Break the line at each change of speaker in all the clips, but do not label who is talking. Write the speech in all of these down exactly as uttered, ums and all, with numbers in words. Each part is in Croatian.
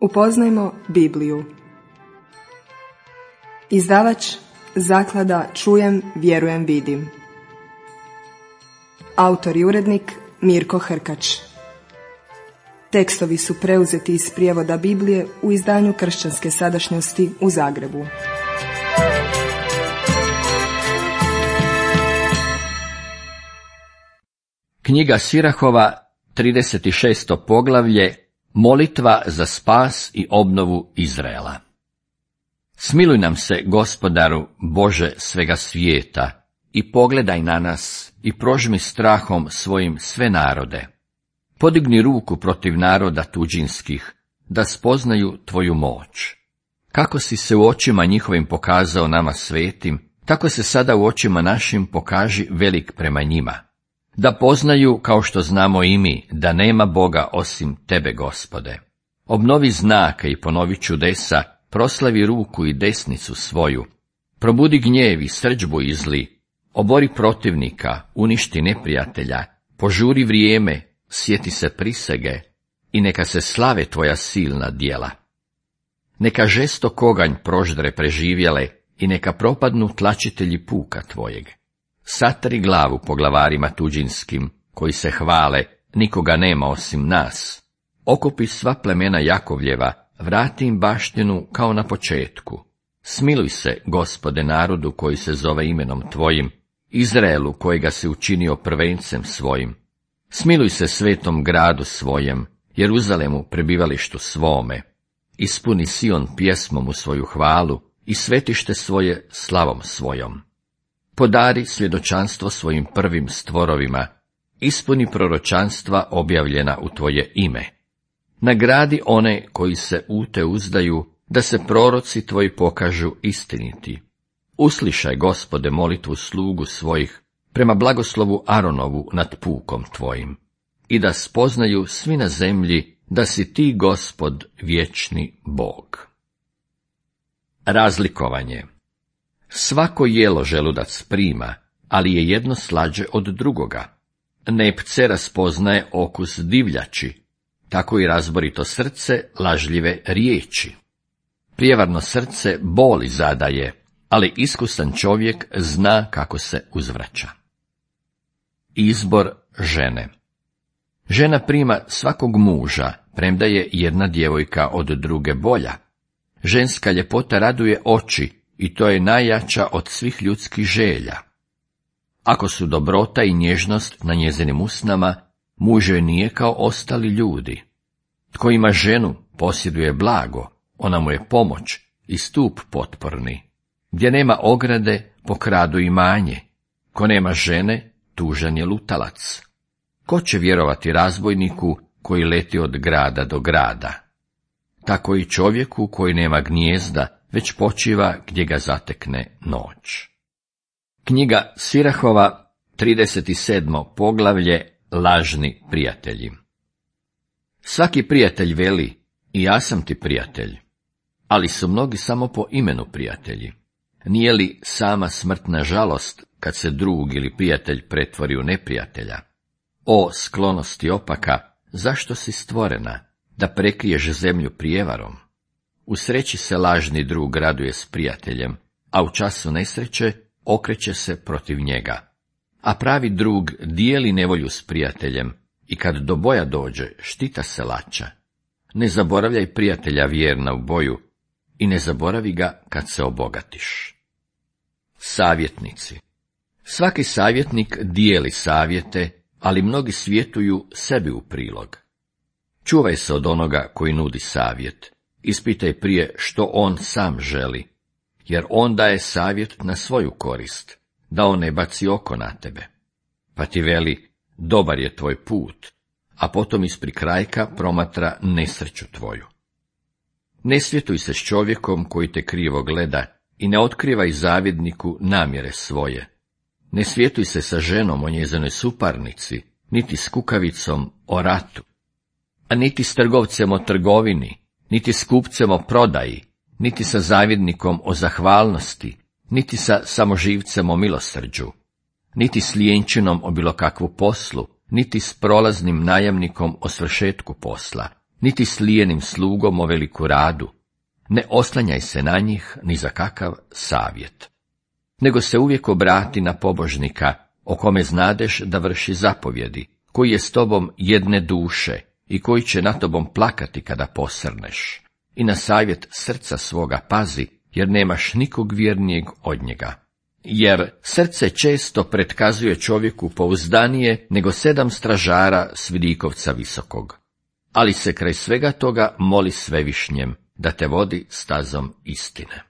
Upoznajmo Bibliju. Izdavač Zaklada Čujem, vjerujem, vidim. Autor i urednik Mirko Hrkač. Tekstovi su preuzeti iz prijevoda Biblije u izdanju Kršćanske sadašnjosti u Zagrebu.
Knjiga Sirahova, trideset šesto poglavlje, molitva za spas i obnovu Izraela. Smiluj nam se, Gospodaru, Bože svega svijeta, i pogledaj na nas i prožmi strahom svojim sve narode. Podigni ruku protiv naroda tuđinskih, da spoznaju tvoju moć. Kako si se u očima njihovim pokazao nama svetim, tako se sada u očima našim pokaži velik prema njima. Da poznaju, kao što znamo i mi, da nema Boga osim tebe, Gospode. Obnovi znake i ponovi čudesa, proslavi ruku i desnicu svoju. Probudi gnjev i srdžbu izli, obori protivnika, uništi neprijatelja, požuri vrijeme, sjeti se prisege i neka se slave tvoja silna djela. Neka žestok oganj proždre preživjele i neka propadnu tlačitelji puka tvojeg. Satri glavu po glavarima tuđinskim, koji se hvale, nikoga nema osim nas. Okupi sva plemena Jakovljeva, vrati im baštinu kao na početku. Smiluj se, Gospode, narodu koji se zove imenom tvojim, Izraelu kojega si učinio prvencem svojim. Smiluj se svetom gradu svojem, Jeruzalemu prebivalištu svome. Ispuni Sion pjesmom u svoju hvalu i svetište svoje slavom svojom. Podari svjedočanstvo svojim prvim stvorovima, ispuni proročanstva objavljena u tvoje ime. Nagradi one koji se u te uzdaju, da se proroci tvoji pokažu istiniti. Uslišaj, Gospode, molitvu slugu svojih, prema blagoslovu Aronovu nad pukom tvojim, i da spoznaju svi na zemlji da si ti, Gospod, vječni Bog. Razlikovanje. Svako jelo želudac prima, ali je jedno slađe od drugoga. Nepce raspoznaje okus divljači, tako i razborito srce lažljive riječi. Prijevarno srce boli zadaje, ali iskusan čovjek zna kako se uzvraća. Izbor žene. Žena prima svakog muža, premda je jedna djevojka od druge bolja. Ženska ljepota raduje oči, i to je najjača od svih ljudskih želja. Ako su dobrota i nježnost na njezinim usnama, muž joj nije kao ostali ljudi. Tko ima ženu, posjeduje blago, ona mu je pomoć i stup potporni. Gdje nema ograde, pokradu imanje. Ko nema žene, tužan je lutalac. Ko će vjerovati razbojniku koji leti od grada do grada? Tako i čovjeku koji nema gnijezda, već počiva gdje ga zatekne noć. Knjiga Sirahova, trideset sedmo poglavlje, lažni prijatelji. Svaki prijatelj veli, i ja sam ti prijatelj, ali su mnogi samo po imenu prijatelji. Nije li sama smrtna žalost kad se drug ili prijatelj pretvori u neprijatelja? O sklonosti opaka, zašto si stvorena, da prekriješ zemlju prijevarom? U sreći se lažni drug raduje s prijateljem, a u času nesreće okreće se protiv njega. A pravi drug dijeli nevolju s prijateljem i kad do boja dođe, štita se lača. Ne zaboravljaj prijatelja vjerna u boju i ne zaboravi ga kad se obogatiš. Savjetnici. Svaki savjetnik dijeli savjete, ali mnogi svjetuju sebi u prilog. Čuvaj se od onoga koji nudi savjet. Ispitaj prije što on sam želi, jer on daje savjet na svoju korist, da on ne baci oko na tebe. Pa ti veli, dobar je tvoj put, a potom iz prikrajka promatra nesreću tvoju. Ne svjetuj se s čovjekom koji te krivo gleda i ne otkrivaj zavidniku namjere svoje. Ne svjetuj se sa ženom o njezinoj suparnici, niti s kukavicom o ratu, a niti s trgovcem o trgovini, niti s kupcem o prodaji, niti sa zavidnikom o zahvalnosti, niti sa samoživcem o milosrđu, niti s lijenčinom o bilo kakvu poslu, niti s prolaznim najamnikom o svršetku posla, niti s lijenim slugom o veliku radu, ne oslanjaj se na njih ni za kakav savjet, nego se uvijek obrati na pobožnika, o kome znadeš da vrši zapovjedi, koji je s tobom jedne duše i koji će na tobom plakati kada posrneš. I na savjet srca svoga pazi, jer nemaš nikog vjernijeg od njega. Jer srce često pretkazuje čovjeku pouzdanije nego sedam stražara s vidikovca visokog. Ali se kraj svega toga moli Svevišnjem da te vodi stazom istine.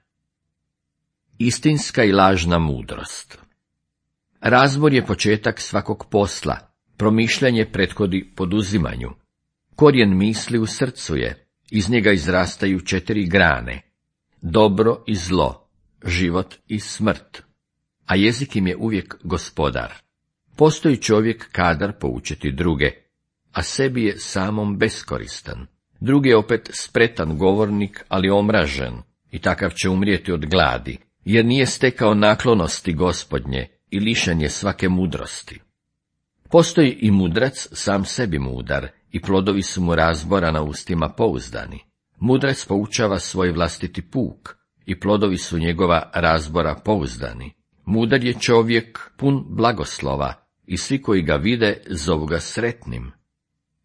Istinska i lažna mudrost. Razbor je početak svakog posla, promišljanje prethodi poduzimanju. Korijen misli u srcu je, iz njega izrastaju četiri grane, dobro i zlo, život i smrt, a jezik im je uvijek gospodar. Postoji čovjek kadar poučiti druge, a sebi je samom beskoristan. Drugi je opet spretan govornik, ali omražen, i takav će umrijeti od gladi, jer nije stekao naklonosti Gospodnje i lišen je svake mudrosti. Postoji i mudrac sam sebi mudar, i plodovi su mu razbora na ustima pouzdani. Mudrac poučava svoj vlastiti puk, i plodovi su njegova razbora pouzdani. Mudar je čovjek pun blagoslova, i svi koji ga vide zovu ga sretnim.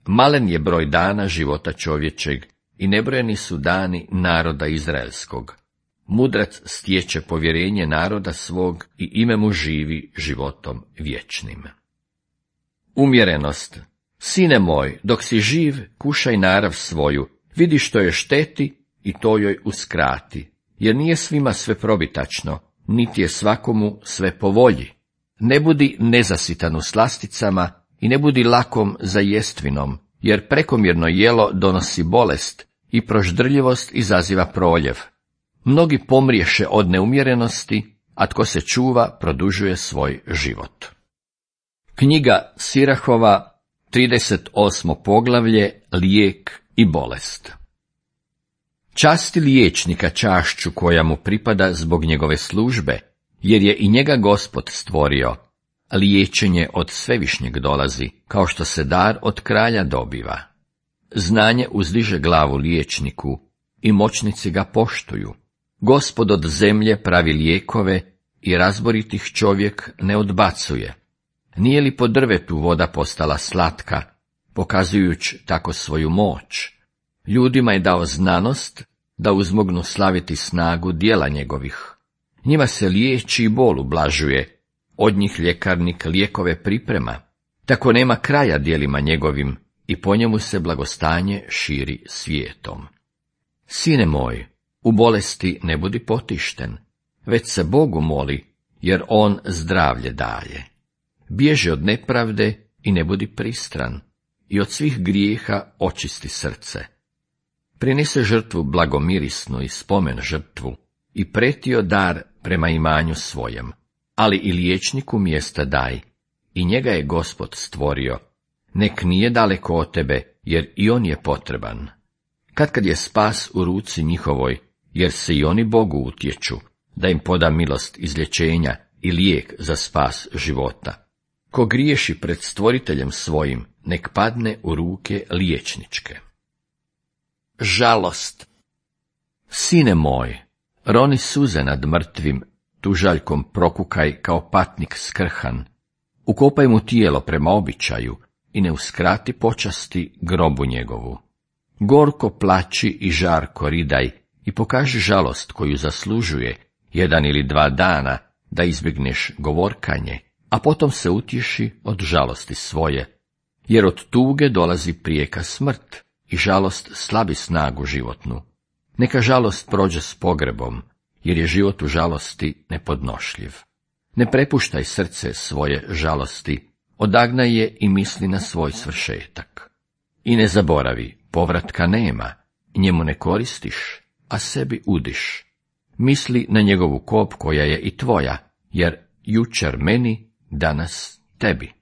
Malen je broj dana života čovječeg, i nebrojeni su dani naroda izraelskog. Mudrac stječe povjerenje naroda svog i ime mu živi životom vječnim. Umjerenost. Sine moj, dok si živ, kušaj narav svoju, vidi što je šteti i to joj uskrati, jer nije svima sve probitačno, niti je svakomu sve po volji. Ne budi nezasitan u slasticama i ne budi lakom za jestvinom, jer prekomjerno jelo donosi bolest i proždrljivost izaziva proljev. Mnogi pomriješe od neumjerenosti, a tko se čuva produžuje svoj život. Knjiga Sirahova, trideset osmo poglavlje, lijek i bolest. Časti liječnika čašću koja mu pripada zbog njegove službe, jer je i njega Gospod stvorio. Liječenje od Svevišnjeg dolazi, kao što se dar od kralja dobiva. Znanje uzdiže glavu liječniku i moćnici ga poštuju. Gospod od zemlje pravi lijekove i razboritih čovjek ne odbacuje. Nije li po drvetu voda postala slatka, pokazujući tako svoju moć? Ljudima je dao znanost da uzmognu slaviti snagu djela njegovih. Njima se liječi i bol ublažuje, od njih ljekarnik lijekove priprema. Tako nema kraja djelima njegovim i po njemu se blagostanje širi svijetom. Sine moj, u bolesti ne budi potišten, već se Bogu moli, jer on zdravlje daje. Bježi od nepravde i ne budi pristran, i od svih grijeha očisti srce. Prinese žrtvu blagomirisnu i spomen žrtvu, i pretio dar prema imanju svojem, ali i liječniku mjesta daj, i njega je Gospod stvorio. Nek nije daleko od tebe, jer i on je potreban. Katkad je spas u ruci njihovoj, jer se i oni Bogu utječu, da im poda milost izlječenja i lijek za spas života. Ko griješi pred stvoriteljem svojim, nek padne u ruke liječničke. Žalost. Sine moj, roni suze nad mrtvim, tužaljkom prokukaj kao patnik skrhan, ukopaj mu tijelo prema običaju i ne uskrati počasti grobu njegovu. Gorko plači i žarko ridaj i pokaži žalost koju zaslužuje, jedan ili dva dana, da izbjegneš govorkanje, a potom se utješi od žalosti svoje, jer od tuge dolazi prijeka smrt i žalost slabi snagu životnu. Neka žalost prođe s pogrebom, jer je život u žalosti nepodnošljiv. Ne prepuštaj srce svoje žalosti, odagnaj je i misli na svoj svršetak. I ne zaboravi, povratka nema, njemu ne koristiš, a sebi udiš. Misli na njegovu kop koja je i tvoja, jer jučer meni, danas tebi.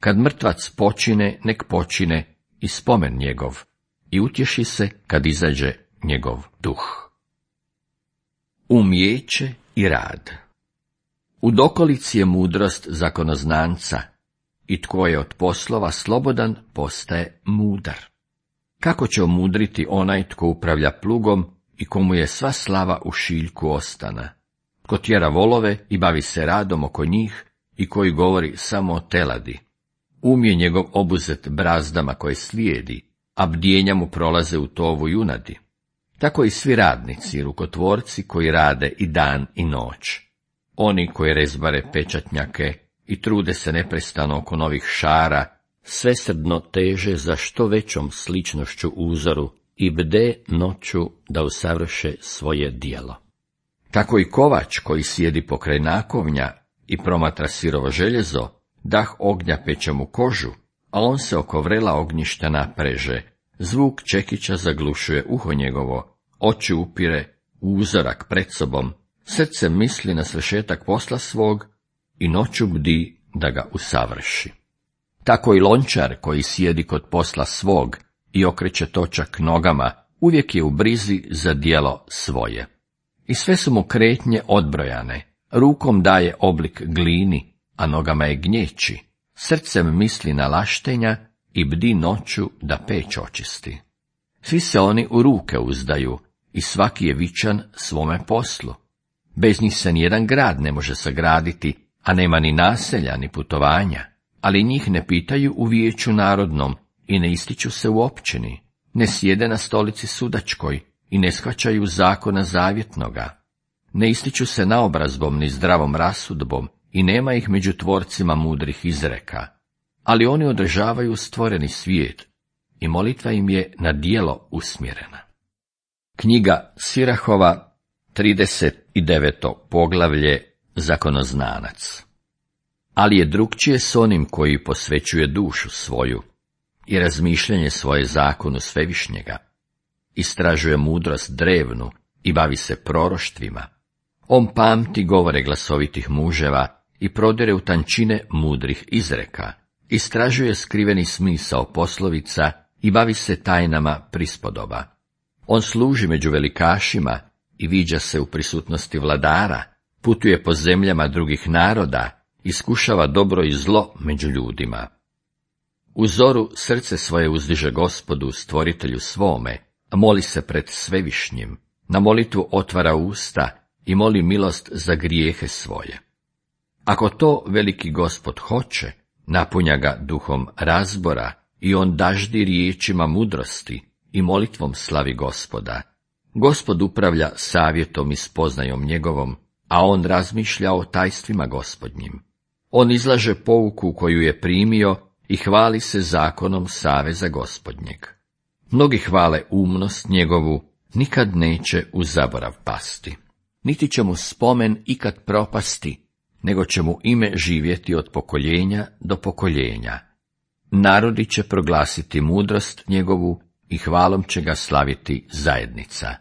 Kad mrtvac počine, nek počine i spomen njegov, i utješi se kad izađe njegov duh. Umijeće i rad. U dokolici je mudrost zakonoznanca, i tko je od poslova slobodan, postaje mudar. Kako će omudriti onaj tko upravlja plugom i komu je sva slava u šiljku ostana? Ko tjera volove i bavi se radom oko njih i koji govori samo o teladi. Um je njegov obuzet brazdama koje slijedi, a bdjenja mu prolaze u tovu junadi. Tako i svi radnici i rukotvorci koji rade i dan i noć. Oni koji rezbare pečatnjake i trude se neprestano oko novih šara, svesrdno teže za što većom sličnošću uzoru i bde noću da usavrše svoje djelo. Tako i kovač koji sjedi pokraj nakovnja i promatra sirovo željezo, dah ognja peče mu kožu, a on se oko vrela ognjišta napreže, zvuk čekića zaglušuje uho njegovo, oči upire u uzorak pred sobom, srce misli na svršetak posla svog i noću bdi da ga usavrši. Tako i lončar koji sjedi kod posla svog i okreće točak nogama, uvijek je u brizi za djelo svoje. I sve su mu kretnje odbrojane, rukom daje oblik glini, a nogama je gnječi, srcem misli na laštenja i bdi noću da peć očisti. Svi se oni u ruke uzdaju i svaki je vičan svome poslu. Bez njih se nijedan grad ne može sagraditi, a nema ni naselja ni putovanja, ali njih ne pitaju u vijeću narodnom i ne ističu se u općini, ne sjede na stolici sudačkoj i ne shvaćaju zakona zavjetnoga, ne ističu se naobrazbom ni zdravom rasudbom i nema ih među tvorcima mudrih izreka, ali oni održavaju stvoreni svijet i molitva im je na djelo usmjerena. Knjiga Sirahova, trideset deveto poglavlje, Zakonoznanac. Ali je drukčije s onim koji posvećuje dušu svoju i razmišljanje svoje zakonu svevišnjega, istražuje mudrost drevnu i bavi se proroštvima. On pamti govore glasovitih muževa i prodire u tančine mudrih izreka, istražuje skriveni smisao poslovica i bavi se tajnama prispodoba. On služi među velikašima i viđa se u prisutnosti vladara, putuje po zemljama drugih naroda, iskušava dobro i zlo među ljudima. U zoru srce svoje uzdiže Gospodu, stvoritelju svome, a moli se pred svevišnjim, na molitvu otvara usta i moli milost za grijehe svoje. Ako to veliki Gospod hoće, napunja ga duhom razbora i on daždi riječima mudrosti i molitvom slavi Gospoda. Gospod upravlja savjetom i spoznajom njegovom, a on razmišlja o tajstvima Gospodnjim. On izlaže pouku koju je primio i hvali se zakonom saveza Gospodnjeg. Mnogi hvale umnost njegovu, nikad neće u zaborav pasti. Niti će mu spomen ikad propasti, nego će mu ime živjeti od pokoljenja do pokoljenja. Narodi će proglasiti mudrost njegovu i hvalom će ga slaviti zajednica.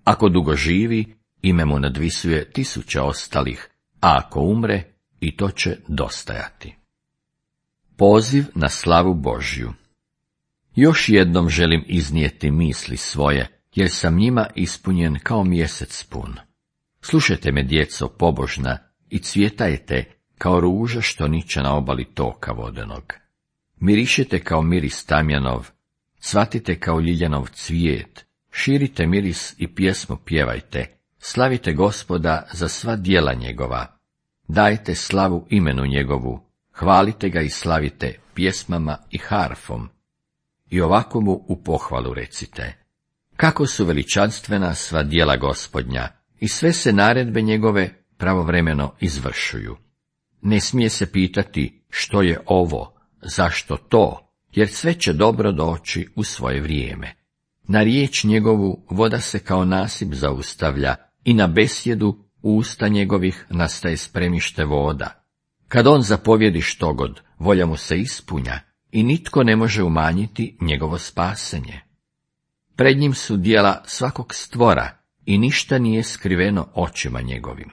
Ako dugo živi, ime mu nadvisuje tisuće ostalih, a ako umre, i to će dostajati. Poziv na slavu Božju. Još jednom želim iznijeti misli svoje, jer sam njima ispunjen kao mjesec pun. Slušajte me, djeco pobožna, i cvjetajte kao ruža što niče na obali toka vodenog. Mirišite kao miris tamjanov, cvatite kao ljiljanov cvijet, širite miris i pjesmu pjevajte, slavite Gospoda za sva djela njegova, dajte slavu imenu njegovu, hvalite ga i slavite pjesmama i harfom. I ovako mu u pohvalu recite: kako su veličanstvena sva djela Gospodnja i sve se naredbe njegove pravovremeno izvršuju. Ne smije se pitati što je ovo, zašto to, jer sve će dobro doći u svoje vrijeme. Na riječ njegovu voda se kao nasip zaustavlja i na besjedu usta njegovih nastaje spremište voda. Kad on zapovjedi štogod, volja mu se ispunja i nitko ne može umanjiti njegovo spasenje. Pred njim su djela svakog stvora i ništa nije skriveno očima njegovim.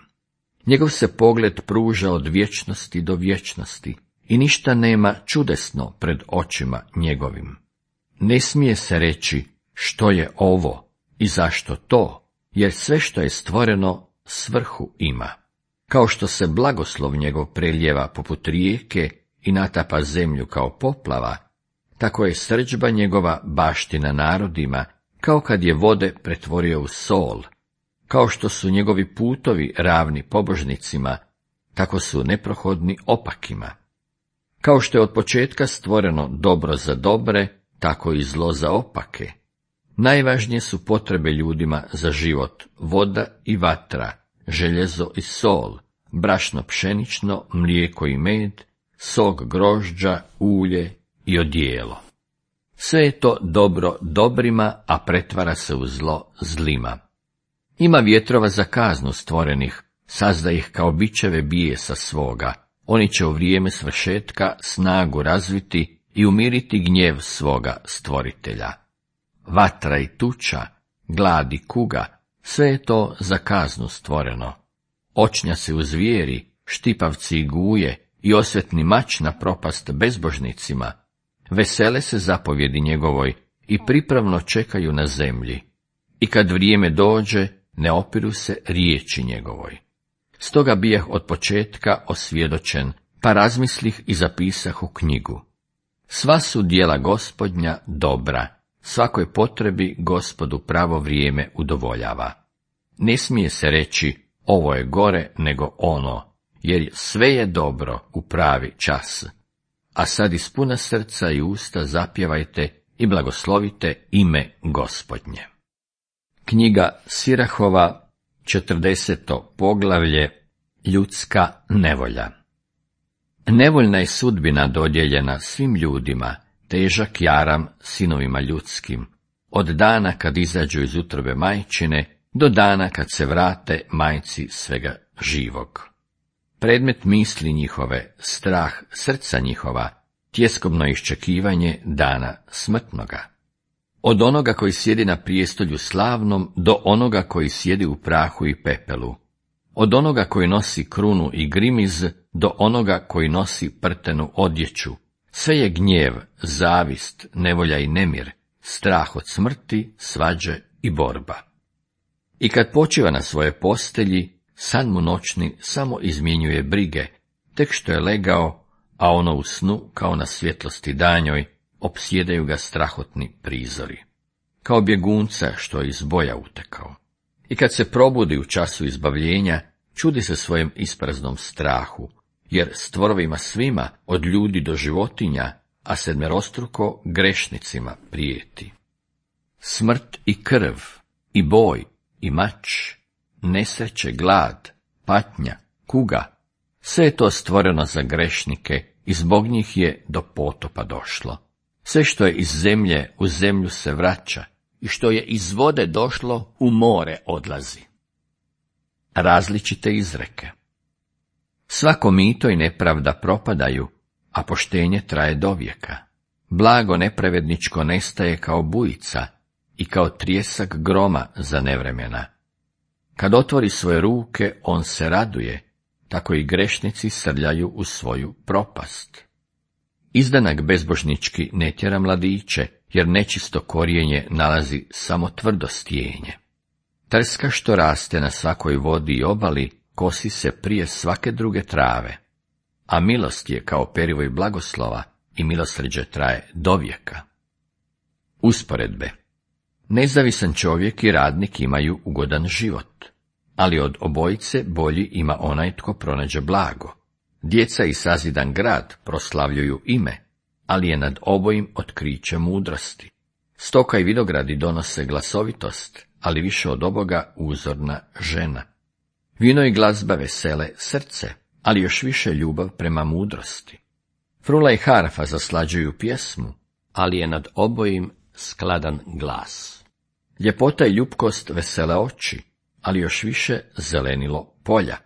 Njegov se pogled pruža od vječnosti do vječnosti i ništa nema čudesno pred očima njegovim. Ne smije se reći što je ovo i zašto to, jer sve što je stvoreno svrhu ima. Kao što se blagoslov njegov preljeva poput rijeke i natapa zemlju kao poplava, tako je srdžba njegova baština narodima, kao kad je vode pretvorio u sol. Kao što su njegovi putovi ravni pobožnicima, tako su neprohodni opakima. Kao što je od početka stvoreno dobro za dobre, tako i zlo za opake. Najvažnije su potrebe ljudima za život, voda i vatra, željezo i sol, brašno pšenično, mlijeko i med, sok grožđa, ulje i odijelo. Sve je to dobro dobrima, a pretvara se u zlo zlima. Ima vjetrova za kaznu stvorenih, sazda ih kao bičeve bijesa svoga. Oni će u vrijeme svršetka snagu razviti i umiriti gnjev svoga stvoritelja. Vatra i tuča, glad i kuga, sve je to za kaznu stvoreno. Očnja se u zvijeri, štipavci i guje i osvetni mač na propast bezbožnicima. Vesele se zapovjedi njegovoj i pripravno čekaju na zemlji. I kad vrijeme dođe, ne opiru se riječi njegovoj. Stoga bijah od početka osvjedočen, pa razmislih i zapisah u knjigu. Sva su djela Gospodnja dobra, svakoj potrebi Gospodu pravo vrijeme udovoljava. Ne smije se reći, ovo je gore nego ono, jer sve je dobro u pravi čas. A sad iz puna srca i usta zapjevajte i blagoslovite ime Gospodnje. Knjiga Sirahova, četrdeseto poglavlje, ljudska nevolja. Nevoljna je sudbina dodijeljena svim ljudima, težak jaram sinovima ljudskim, od dana kad izađu iz utrobe majčine, do dana kad se vrate majci svega živog. Predmet misli njihove, strah srca njihova, tjeskobno iščekivanje dana smrtnoga. Od onoga koji sjedi na prijestolju slavnom, do onoga koji sjedi u prahu i pepelu. Od onoga koji nosi krunu i grimiz, do onoga koji nosi prtenu odjeću. Sve je gnjev, zavist, nevolja i nemir, strah od smrti, svađe i borba. I kad počiva na svoje postelji, san mu noćni samo izmjenjuje brige, tek što je legao, a ono u snu, kao na svjetlosti danjoj, opsjedaju ga strahotni prizori. Kao bjegunca što je iz boja utekao. I kad se probudi u času izbavljenja, čudi se svojem ispraznom strahu, jer stvorovima svima, od ljudi do životinja, a sedmerostruko grešnicima prijeti. Smrt i krv, i boj, i mač, nesreće, glad, patnja, kuga, sve je to stvoreno za grešnike i zbog njih je do potopa došlo. Sve što je iz zemlje u zemlju se vraća i što je iz vode došlo u more odlazi. Različite izreke. Svako mito i nepravda propadaju, a poštenje traje dovijeka. Blago nepravedničko nestaje kao bujica i kao trijesak groma za nevremena. Kad otvori svoje ruke, on se raduje, tako i grešnici srljaju u svoju propast. Izdanak bezbožnički ne tjera mladiće, jer nečisto korijenje nalazi samo tvrdo stijenje. Trska što raste na svakoj vodi i obali, kosi se prije svake druge trave, a milost je kao perivoj blagoslova i milosrđe traje dovijeka. Usporedbe. Nezavisan čovjek i radnik imaju ugodan život, ali od obojice bolji ima onaj tko pronađe blago. Djeca i sazidan grad proslavljuju ime, ali je nad obojim otkriće mudrosti. Stoka i vinogradi donose glasovitost, ali više od oboga uzorna žena. Vino i glazba vesele srce, ali još više ljubav prema mudrosti. Frula i harfa zaslađuju pjesmu, ali je nad obojim skladan glas. Ljepota i ljupkost vesele oči, ali još više zelenilo polja.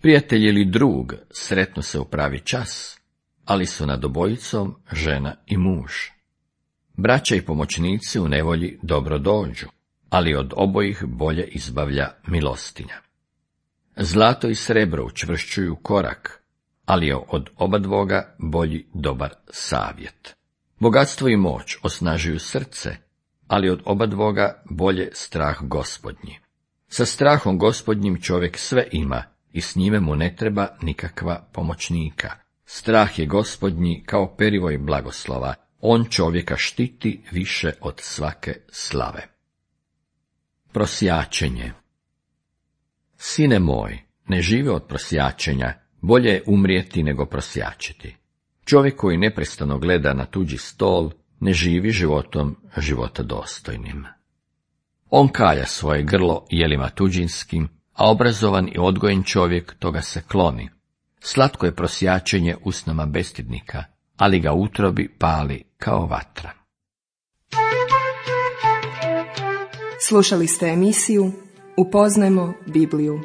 Prijatelj ili drug sretnu se u pravi čas, ali su nad obojicom žena i muž. Braća i pomoćnici u nevolji dobro dođu, ali od obojih bolje izbavlja milostinja. Zlato i srebro učvršćuju korak, ali je od obadvoga bolji dobar savjet. Bogatstvo i moć osnažuju srce, ali od obadvoga bolje strah Gospodnji. Sa strahom Gospodnjim čovjek sve ima i s njime mu ne treba nikakva pomoćnika. Strah je Gospodnji kao perivoj blagoslova On čovjeka štiti više od svake slave. Prosjačenje. Sine moj, ne žive od prosjačenja, bolje je umrijeti nego prosjačiti. Čovjek koji neprestano gleda na tuđi stol, ne živi životom života dostojnim. On kalja svoje grlo jelima tuđinskim, a obrazovan i odgojen čovjek toga se kloni. Slatko je prosjačenje usnama bestidnika, ali ga utrobi pali kao vatra.
Slušali ste emisiju Upoznajmo Bibliju.